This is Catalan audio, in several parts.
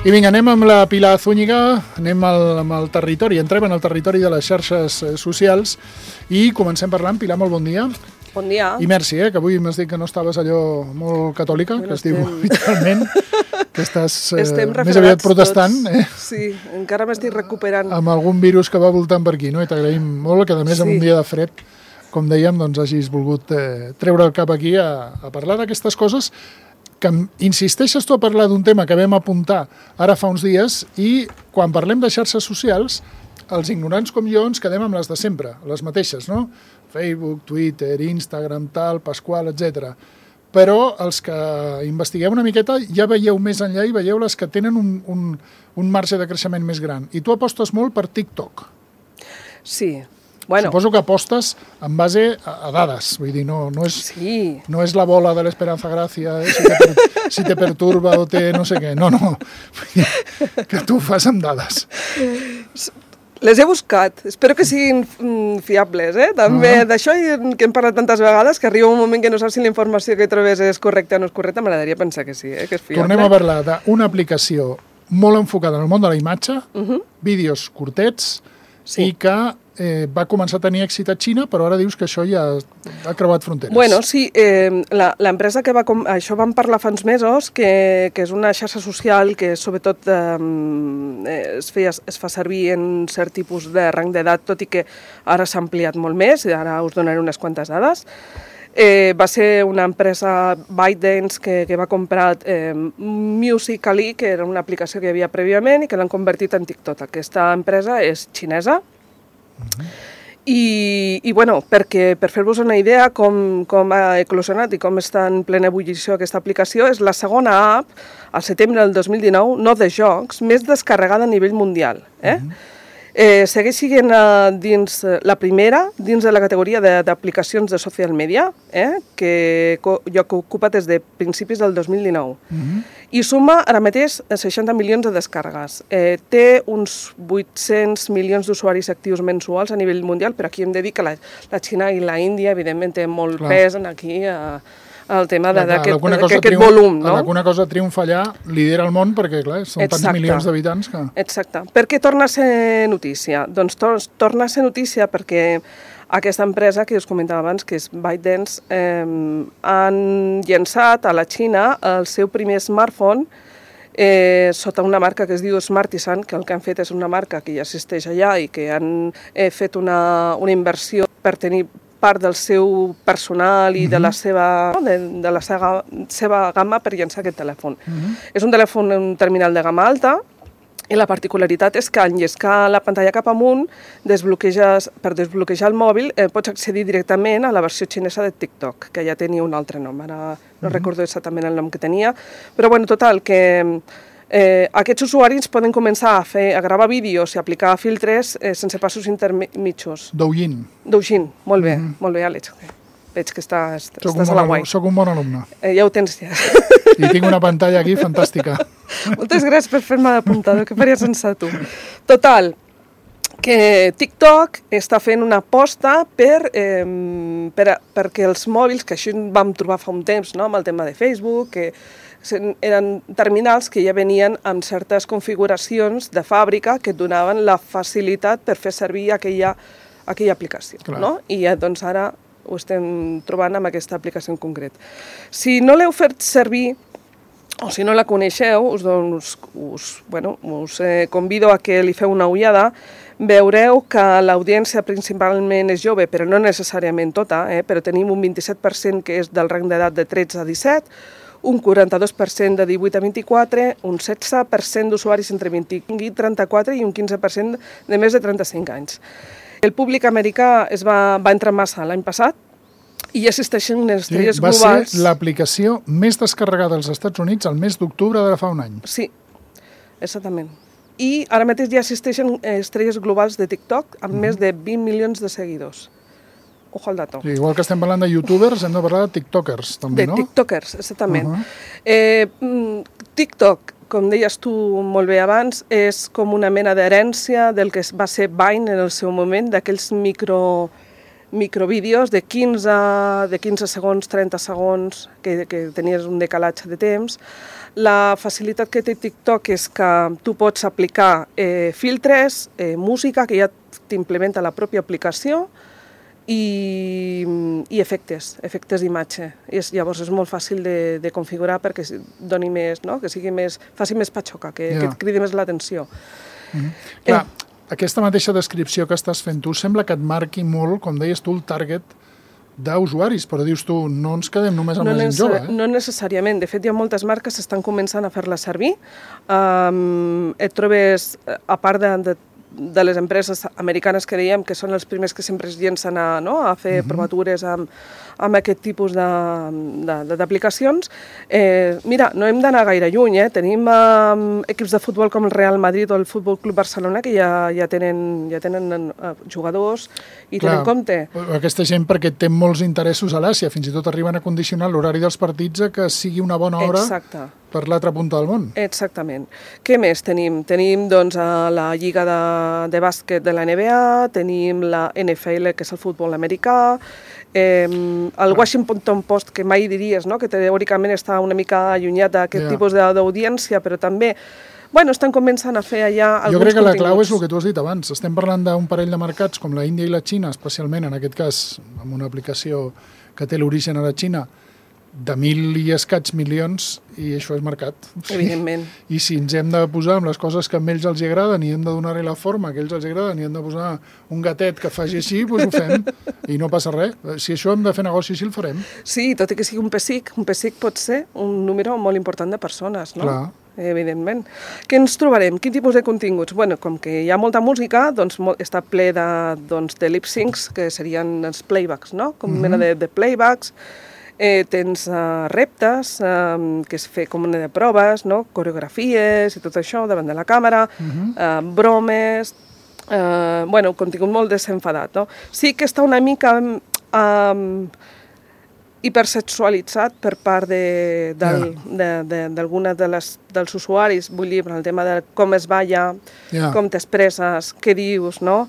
I vinga, anem amb la Pilar Zúñiga, anem amb el territori, entrem en el territori de les xarxes socials i comencem parlant. Pilar, molt bon dia. Bon dia. I merci, que avui m'has dit que no estaves allò molt catòlica, que es diu habitualment, que estàs més aviat protestant. Sí, encara m'estic recuperant. Amb algun virus que va voltant per aquí, no? I t'agraïm molt que, a més, en un dia de fred, com dèiem, doncs hagis volgut treure el cap aquí a parlar d'aquestes coses que insisteixes tu a parlar d'un tema que vam apuntar ara fa uns dies i quan parlem de xarxes socials, els ignorants com jo ens quedem amb les de sempre, les mateixes, no? Facebook, Twitter, Instagram, tal, Pasqual, etc. Però els que investigueu una miqueta ja veieu més enllà i veieu les que tenen un marge de creixement més gran. I tu apostes molt per TikTok. Sí. Bueno. Suposo que apostes en base a dades, vull dir, no és la bola de l'Esperanza Gràcia, si te perturba o te no sé què, no, que tu ho fas amb dades. Les he buscat, espero que siguin fiables, també d'això que hem parlat tantes vegades que arriba un moment que no saps si la informació que trobes és correcta o no és correcta, m'agradaria pensar que sí, que és fiable. Tornem a parlar d'una aplicació molt enfocada en el món de la imatge, vídeos curtets, i que va començar a tenir èxit a Xina, però ara dius que això ja ha creuat fronteres. Bueno, sí, l'empresa que això vam parlar fa uns mesos, que és una xarxa social que sobretot es fa servir en cert tipus de rang d'edat, tot i que ara s'ha ampliat molt més, i ara us donaré unes quantes dades. Va ser una empresa ByteDance que va comprar Musical.ly, que era una aplicació que hi havia prèviament i que l'han convertit en TikTok. Aquesta empresa és xinesa i bueno, per fer-vos una idea com ha eclosionat i com està en plena ebullició aquesta aplicació, és la segona app al setembre del 2019, no de jocs, més descarregada a nivell mundial. Segueix sent la primera dins de la categoria d'aplicacions de social media, que ocupa des de principis del 2019. I suma ara mateix 60 milions de descàrregues. Té uns 800 milions d'usuaris actius mensuals a nivell mundial, però aquí hem de dir que la Xina i la Índia, evidentment, tenen molt pes aquí el tema d'aquest volum. Alguna cosa triomfa allà, lidera el món, perquè clar, són tants milions d'habitants que... Exacte. Per què torna a ser notícia? Doncs torna a ser notícia perquè aquesta empresa que us comentava abans, que és ByteDance, han llançat a la Xina el seu primer smartphone sota una marca que es diu Smartisan, que el que han fet és una marca que ja existeix allà i que han fet una inversió per tenir part del seu personal i de la seva gamma per llançar aquest telèfon. És un telèfon, un terminal de gamma alta, i la particularitat és que en llescar la pantalla cap amunt, per desbloquejar el mòbil, pots accedir directament a la versió xinesa de TikTok, que ja tenia un altre nom, ara no recordo exactament el nom que tenia, però bueno, total, que aquests usuaris poden començar a gravar vídeos i aplicar filtres sense passos intermitjos. Douyin, molt bé, Àlex. Veig que estàs a la guai. Soc un bon alumne. Ja ho tens, ja. I tinc una pantalla aquí fantàstica. Moltes gràcies per fer-me d'apuntador, que faria sense tu. Total, que TikTok està fent una aposta perquè els mòbils, que això vam trobar fa un temps, amb el tema de Facebook, que eren terminals que ja venien amb certes configuracions de fàbrica que et donaven la facilitat per fer servir aquella aplicació. I doncs ara ho estem trobant amb aquesta aplicació en concret. Si no l'heu fet servir o si no la coneixeu, us convido a que li feu una ullada. Veureu que l'audiència principalment és jove, però no necessàriament tota, però tenim un 27% que és del rang d'edat de 13 a 17, un 42% de 18 a 24, un 16% d'usuaris entre 25 i 34 i un 15% de més de 35 anys. El públic americà va entrar massa l'any passat i ja existeixen unes estrelles globals. Va ser l'aplicació més descarregada als Estats Units el mes d'octubre de fa un any. Sí, exactament. I ara mateix ja existeixen estrelles globals de TikTok amb més de 20 milions de seguidors. Ojo al dato. Igual que estem parlant de youtubers, hem de parlar de tiktokers, també, no? De tiktokers, exactament. TikTok, com deies tu molt bé abans, és com una mena d'herència del que va ser Vine en el seu moment, d'aquells microvídeos de 15 segons, 30 segons, que tenies un decalatge de temps. La facilitat que té TikTok és que tu pots aplicar filtres, música, que ja t'implementa la pròpia aplicació, i efectes d'imatge. Llavors és molt fàcil de configurar perquè doni més, no? Que faci més patxoca, que et cridi més l'atenció. Clar, aquesta mateixa descripció que estàs fent tu sembla que et marqui molt, com deies tu, el target d'usuaris, però dius tu, no ens quedem només amb la gent jove. No necessàriament. De fet, hi ha moltes marques que estan començant a fer-la servir. Et trobes, a part de les empreses americanes que dèiem que són els primers que sempre es llencen a fer provatures amb aquest tipus d'aplicacions. Mira, no hem d'anar gaire lluny. Tenim equips de futbol com el Real Madrid o el Futbol Club Barcelona que ja tenen jugadors i tenen compte. Aquesta gent perquè té molts interessos a l'Àsia, fins i tot arriben a condicionar l'horari dels partits a que sigui una bona hora per l'altra punta del món. Exactament. Què més tenim? Tenim doncs la lliga de bàsquet de la NBA, tenim la NFL, que és el futbol americà, el Washington Post, que mai diries, no? Que teòricament està una mica allunyat d'aquest tipus d'audiència, però també estan començant a fer allà alguns continguts. Jo crec que la clau és el que tu has dit abans. Estem parlant d'un parell de mercats com la Índia i la Xina, especialment en aquest cas amb una aplicació que té l'origen a la Xina, de 1.000 i escaig milions, i això és mercat. Evidentment. I si ens hem de posar amb les coses que a ells els agraden i hem de donar-li la forma que a ells els agraden i hem de posar un gatet que faci així, doncs ho fem i no passa res. Si això hem de fer negoci així, el farem. Sí, tot i que sigui un pessic pot ser un número molt important de persones, no? Clar. Evidentment. Què ens trobarem? Quin tipus de continguts? Com que hi ha molta música, doncs està ple de lip-syncs, que serien els playbacks, no? Com mena de playbacks. Tens reptes, que és fer com una de proves, no? Coreografies i tot això davant de la càmera, bromes, contingut molt desenfadat, no? Sí que està una mica hipersexualitzat per part d'alguna dels usuaris, vull dir, el tema de com es balla, com t'expresses, què dius, no?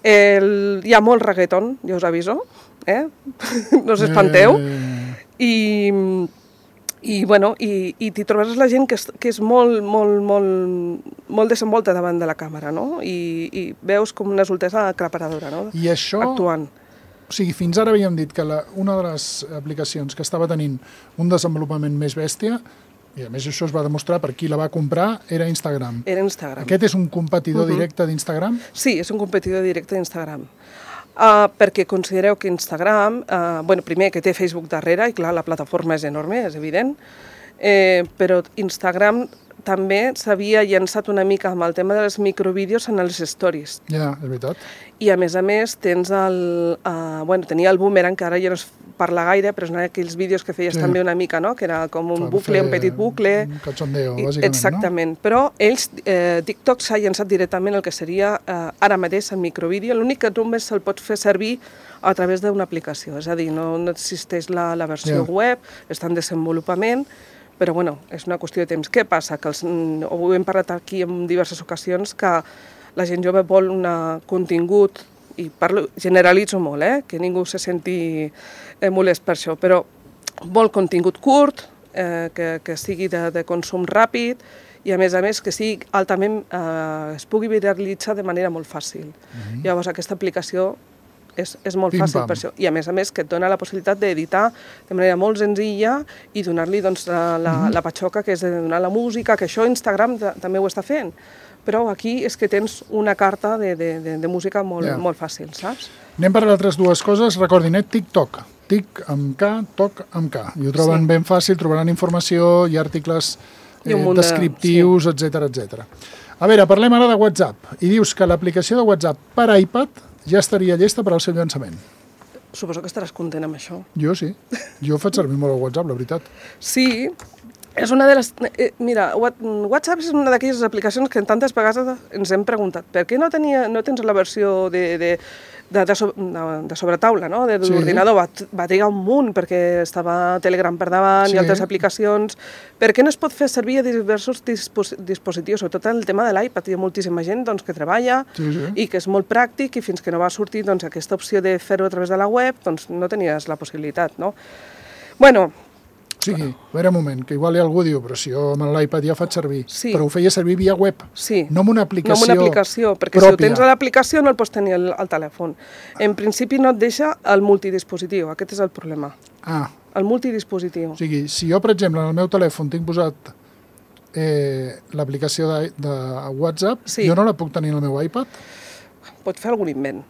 Hi ha molt reggaeton, ja us aviso, no us espanteu, i t'hi trobaràs la gent que és molt desenvolta davant de la càmera, no? I veus com una soltesa aclaparadora, no? I això, actuant. O sigui, fins ara havíem dit que una de les aplicacions que estava tenint un desenvolupament més bèstia, i a més això es va demostrar per qui la va comprar, era Instagram. Era Instagram. Aquest és un competidor directe d'Instagram? Sí, és un competidor directe d'Instagram. Perquè considereu que Instagram, primer que té Facebook darrere, i clar, la plataforma és enorme, és evident, però Instagram també s'havia llançat una mica amb el tema dels microvídeos en els stories. Ja, és veritat. I a més tens tenia el Boomerang, que ara ja no es parla gaire, però són aquells vídeos que feies també una mica, no? Que era com un bucle, un petit bucle. Un cachondeo, bàsicament, exactament. No? Però TikTok s'ha llançat directament el que seria ara mateix el microvídeo. L'únic que només se'l pot fer servir a través d'una aplicació. És a dir, no existeix la versió web, està en desenvolupament, però és una qüestió de temps. Què passa? Que ho hem parlat aquí en diverses ocasions, que la gent jove vol un contingut, i generalitzo molt, que ningú se senti molest per això, però vol contingut curt, que sigui de consum ràpid, i a més que sigui altament, es pugui viralitzar de manera molt fàcil. Llavors aquesta aplicació és molt fàcil per això. I a més que et dona la possibilitat d'editar de manera molt senzilla i donar-li la patxoca que és de donar la música, que això Instagram també ho està fent. Però aquí és que tens una carta de música molt fàcil, saps? Anem per altres dues coses. Recordin, TikTok. Tic amb K, toc amb K. I ho troben ben fàcil, trobaran informació i articles descriptius, etc. A veure, parlem ara de WhatsApp. I dius que l'aplicació de WhatsApp per iPad ja estaria llesta per al seu llançament. Suposo que estaràs content amb això. Jo sí. Jo faig servir molt el WhatsApp, la veritat. Sí, és una de les... Mira, WhatsApp és una d'aquelles aplicacions que tantes vegades ens hem preguntat per què no tens la versió de sobretaula, no? De l'ordinador. Va trigar un munt perquè estava Telegram per davant i altres aplicacions. Per què no es pot fer servir a diversos dispositius? Sobretot en el tema de l'iPad. Hi ha moltíssima gent que treballa i que és molt pràctic i fins que no va sortir aquesta opció de fer-ho a través de la web no tenies la possibilitat, no? Bueno... O sigui, a veure un moment, que igual algú diu, però si jo amb l'iPad ja faig servir, però ho feia servir via web, no amb una aplicació pròpia. No amb una aplicació, perquè si ho tens a l'aplicació no el pots tenir al telèfon. En principi no et deixa el multidispositiu, aquest és el problema. El multidispositiu. O sigui, si jo, per exemple, en el meu telèfon tinc posat l'aplicació de WhatsApp, jo no la puc tenir al meu iPad? Pot fer algun invent.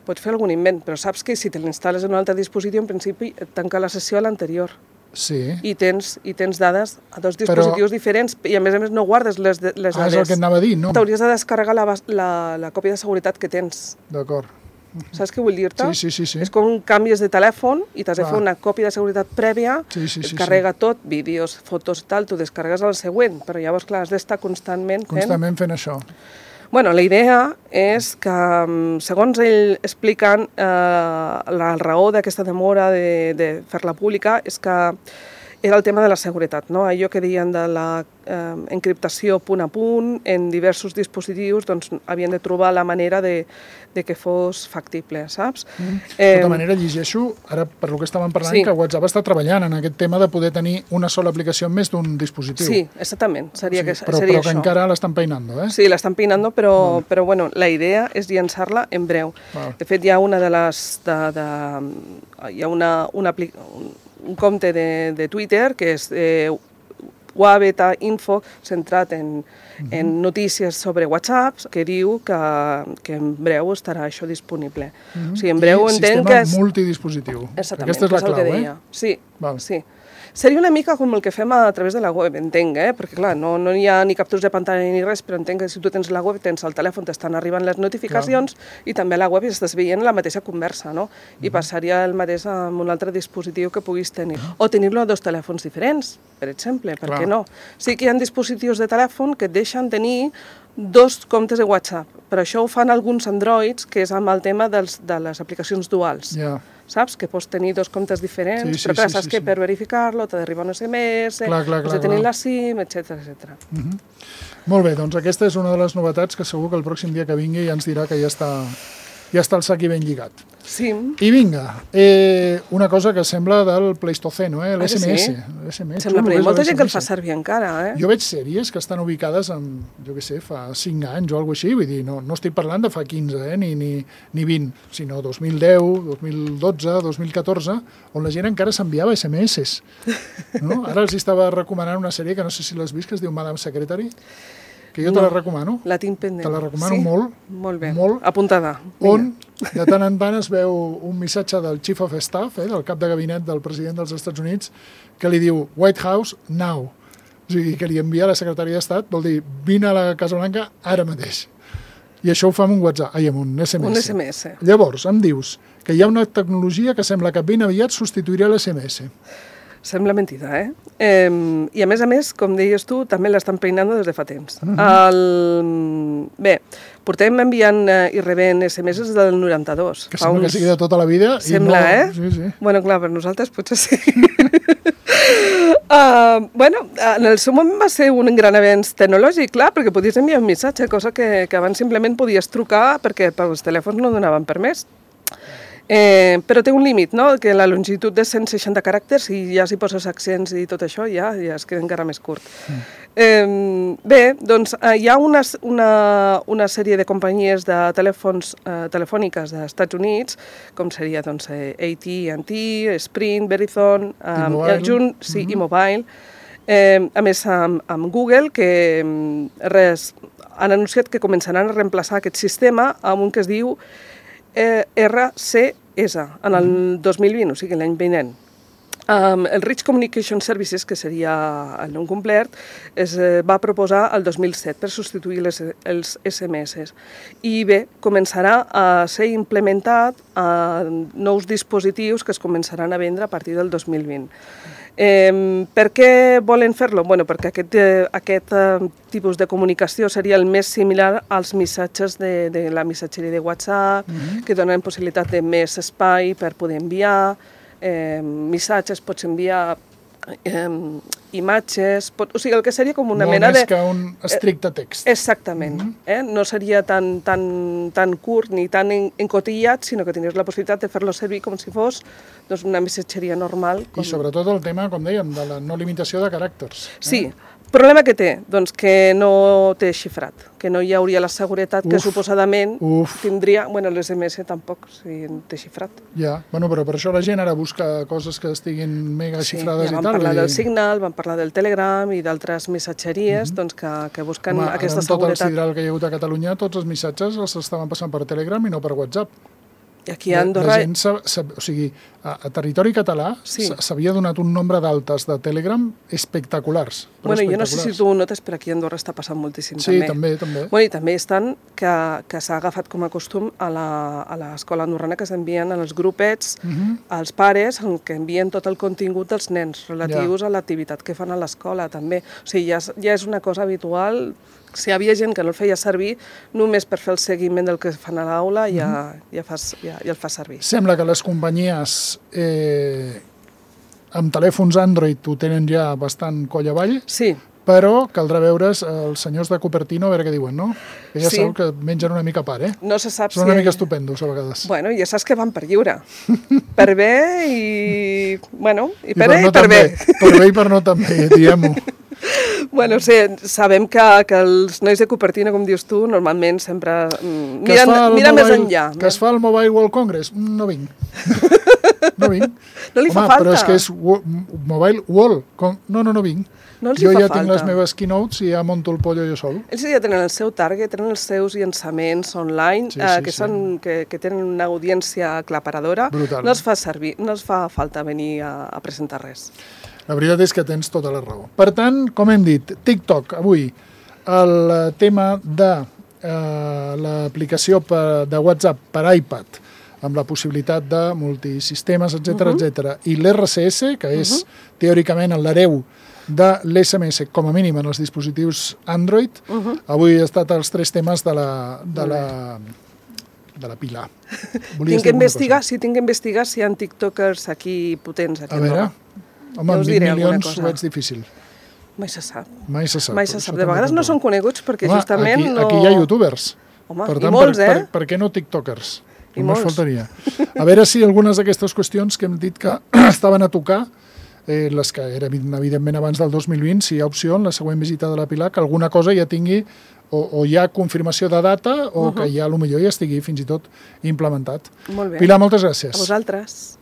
Pot fer algun invent, però saps que si te l'instal·les en un altre dispositiu, en principi et tanca la sessió a l'anterior. Sí. I tens dades a dos dispositius diferents i a més no guardes les dades. És el que et anava a dir, no? T'hauries de descarregar la còpia de seguretat que tens. D'acord. Saps què vull dir-te? Sí. És com canvies de telèfon i t'has de fer una còpia de seguretat prèvia, et carrega tot, vídeos, fotos, tal, tu descarregues el següent, però llavors, clar, has d'estar constantment fent això. Bueno, la idea és que, segons ell expliquen, la raó d'aquesta demora de fer-la pública és que era el tema de la seguretat, no? Allò que deien de la encriptació punt a punt en diversos dispositius, doncs havien de trobar la manera de que fos factible, saps? De tota manera, llegeixo, ara per lo que estàvem parlant, que WhatsApp està treballant en aquest tema de poder tenir una sola aplicació en més d'un dispositiu. Sí, exactament, seria això. Però que encara l'estan peinant, eh? Sí, l'estan peinant, però bueno, la idea és llançar-la en breu. De fet, hi ha una de les... Hi ha un compte de Twitter que és Wabeta Info, centrat en notícies sobre WhatsApp, que diu que en breu estarà això disponible. O sigui, en breu entenc que és... Sistema multidispositiu. Exactament, aquesta és la clau, Sí, sí. Seria una mica com el que fem a través de la web, entenc, perquè clar, no hi ha ni captures de pantalla ni res, però entenc que si tu tens la web, tens el telèfon, t'estan arribant les notificacions i també a la web estàs veient la mateixa conversa, no? I passaria el mateix amb un altre dispositiu que puguis tenir. O tenir-lo a dos telèfons diferents, per exemple, per què no? Sí que hi ha dispositius de telèfon que et deixen tenir dos comptes de WhatsApp, però això ho fan alguns Androids, que és amb el tema de les aplicacions duals. Saps? Que pots tenir dos comptes diferents, però clar, saps que per verificar-lo t'ha d'arribar un SMS, has de tenir la SIM, etc. Molt bé, doncs aquesta és una de les novetats que segur que el pròxim dia que vingui ja ens dirà que ja està el sac ben lligat. Sí. I vinga, una cosa que sembla del Pleistoceno, l'SMS. Sembla, però hi ha molta gent que el fa servir encara, Jo veig sèries que estan ubicades en, jo què sé, fa 5 anys o alguna cosa així, vull dir, no estic parlant de fa 15, ni 20, sinó 2010, 2012, 2014, on la gent encara s'enviava SMS. No? Ara els estava recomanant una sèrie que no sé si l'has vist, que es diu Madame Secretary, que jo te la recomano. La tinc pendent. Te la recomano molt. Molt bé, apuntada. On de tant en tant es veu un missatge del Chief of Staff, del cap de gabinet del president dels Estats Units, que li diu White House now. O sigui, que li envia a la secretària d'Estat, vol dir, vine a la Casa Blanca ara mateix. I això ho fa amb un WhatsApp, amb un SMS. Un SMS. Llavors, em dius que hi ha una tecnologia que sembla que ben aviat substituirà l'SMS. Sembla mentida, I a més, com deies tu, també l'estan peinant des de fa temps. Bé, portem enviant i rebent SMS des del 92. Que sembla que sigui de tota la vida. Sembla, Sí. Bueno, clar, per nosaltres potser sí. En el seu moment va ser un gran avenç tecnològic, clar, perquè podies enviar un missatge, cosa que abans simplement podies trucar perquè els telèfons no donaven permès. Però té un límit, no? Que la longitud de 160 caràcters, i ja si poses accents i tot això, ja es queda encara més curt. Bé, doncs hi ha una sèrie de companyies de telefòniques dels Estats Units, com seria AT&T, Sprint, Verizon, i Mobile, a més amb Google, que han anunciat que començaran a reemplaçar aquest sistema amb un que es diu RCS en el 2020, o sigui l'any vinent. El Rich Communication Services, que seria el nom complet, es va proposar el 2007 per substituir els SMS. I bé, començarà a ser implementat a nous dispositius que es començaran a vendre a partir del 2020. Per què volen fer-lo? Bueno, perquè aquest tipus de comunicació seria el més similar als missatges de la missatgeria de WhatsApp, que donen possibilitat de més espai per poder enviar missatges, pots enviar imatges, o sigui, el que seria com una mena de... Molt més que un estricte text. Exactament. No seria tan curt ni tan encotillat, sinó que tindries la possibilitat de fer-lo servir com si fos una missatgeria normal. I sobretot el tema, com dèiem, de la no limitació de caràcters. Sí. Problema que té? Doncs que no té xifrat, que no hi hauria la seguretat que suposadament tindria... Bueno, l'SMS tampoc, si té xifrat. Ja, bueno, però per això la gent ara busca coses que estiguin mega xifrades i tal. Sí, vam parlar del Signal, vam parlar del Telegram i d'altres missatgeries que busquen aquesta seguretat. Amb tot el sidral que hi ha hagut a Catalunya, tots els missatges els estaven passant per Telegram i no per WhatsApp. I aquí a Andorra... La gent, o sigui, a territori català s'havia donat un nombre d'altes de Telegram espectaculars. Bueno, jo no sé si tu ho notes, però aquí a Andorra està passant moltíssim també. Sí, també. Bueno, i també estan que s'ha agafat com a costum a l'escola andorrana que s'envien als grupets, als pares, que envien tot el contingut dels nens relatius a l'activitat que fan a l'escola també. O sigui, ja és una cosa habitual. Si hi havia gent que no el feia servir, només per fer el seguiment del que fan a l'aula ja el fa servir. Sembla que les companyies amb telèfons Android ho tenen ja bastant coll avall, però caldrà veure's els senyors de Cupertino a veure què diuen, no? Que ja sabeu que mengen una mica a part, No se sap Són una mica estupendos a vegades. Bueno, ja saps que van per lliure. Per bé i... Bueno, i per bé i per bé. Per bé i per no també, diguem-ho. Bueno, sabem que els nois de Cupertino, com dius tu, normalment sempre miren més enllà. Que es fa el Mobile World Congress? No vinc. No vinc. No li fa falta. Però és que és Mobile World. No vinc. Jo ja tinc les meves keynotes i ja monto el pollo jo sol. Ells ja tenen el seu target, tenen els seus llançaments online, que tenen una audiència aclaparadora. Brutal. No els fa servir, no els fa falta venir a presentar res. La veritat és que tens tota la raó. Per tant, com hem dit, TikTok, avui, el tema de l'aplicació de WhatsApp per iPad, amb la possibilitat de multisistemes, etc., i l'RCS, que és teòricament l'hereu de l'SMS, com a mínim en els dispositius Android, avui ha estat els 3 temes de la Pilar. Tinc que investigar si hi ha tiktokers aquí potents. A veure... Home, amb 20 milions ho veig difícil. Mai se sap. Mai se sap. De vegades no són coneguts perquè justament no... Aquí hi ha youtubers. Home, per tant, i molts, per què no tiktokers? I molts. Faltaria. A veure si algunes d'aquestes qüestions que hem dit que estaven a tocar, les que eren evidentment abans del 2020, si hi ha opció en la següent visita de la Pilar, que alguna cosa ja tingui o hi ha confirmació de data o que ja potser ja estigui fins i tot implementat. Molt bé. Pilar, moltes gràcies. A vosaltres.